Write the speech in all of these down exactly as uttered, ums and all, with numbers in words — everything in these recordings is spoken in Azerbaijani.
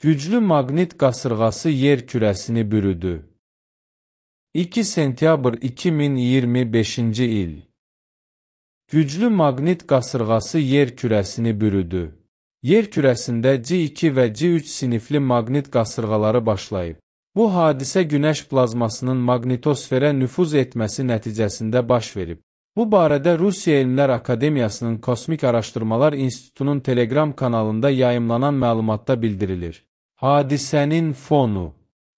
Güclü maqnit qasırğası yer kürəsini bürüdü. iki sentyabr iki min iyirmi beşinci il. Güclü maqnit qasırğası yer kürəsini bürüdü. Yer kürəsində C iki və C üç sinifli maqnit qasırğaları başlayıb. Bu hadisə Günəş plazmasının maqnitosferə nüfuz etməsi nəticəsində baş verib. Bu barədə Rusiya Elmlər Akademiyasının Kosmik Araşdırmalar İnstitutunun Telegram kanalında yayımlanan məlumatda bildirilir. Hadisənin fonu.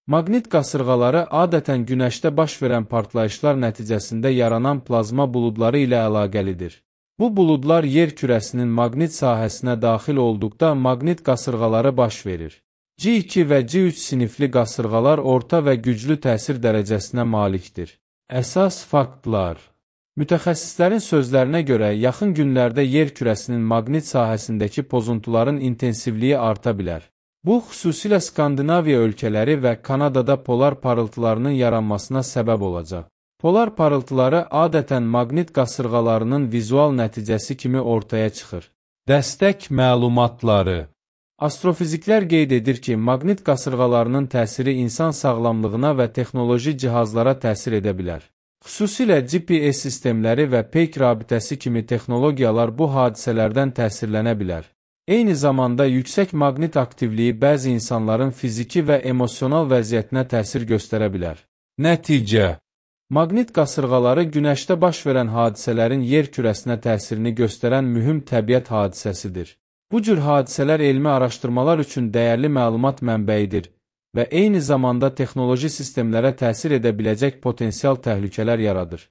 Maqnit qasırğaları adətən Günəşdə baş verən partlayışlar nəticəsində yaranan plazma buludları ilə əlaqəlidir. Bu buludlar yer kürəsinin maqnit sahəsinə daxil olduqda maqnit qasırğaları baş verir. C iki və C üç sinifli qasırğalar orta və güclü təsir dərəcəsinə malikdir. Əsas faktlar. Mütəxəssislərin sözlərinə görə yaxın günlərdə yer kürəsinin maqnit sahəsindəki pozuntuların intensivliyi arta bilər. Bu, xüsusilə Skandinaviya ölkələri və Kanadada polar parıltılarının yaranmasına səbəb olacaq. Polar parıltıları adətən maqnit qasırğalarının vizual nəticəsi kimi ortaya çıxır. Dəstək məlumatları. Astrofiziklər qeyd edir ki, maqnit qasırğalarının təsiri insan sağlamlığına və texnoloji cihazlara təsir edə bilər. Xüsusilə G P S sistemləri və peyk rabitəsi kimi texnologiyalar bu hadisələrdən təsirlənə bilər. Eyni zamanda yüksək maqnit aktivliyi bəzi insanların fiziki və emosional vəziyyətinə təsir göstərə bilər. Nəticə. Maqnit qasırğaları Günəşdə baş verən hadisələrin yer kürəsinə təsirini göstərən mühüm təbiət hadisəsidir. Bu cür hadisələr elmi araşdırmalar üçün dəyərli məlumat mənbəyidir və eyni zamanda texnoloji sistemlərə təsir edə biləcək potensial təhlükələr yaradır.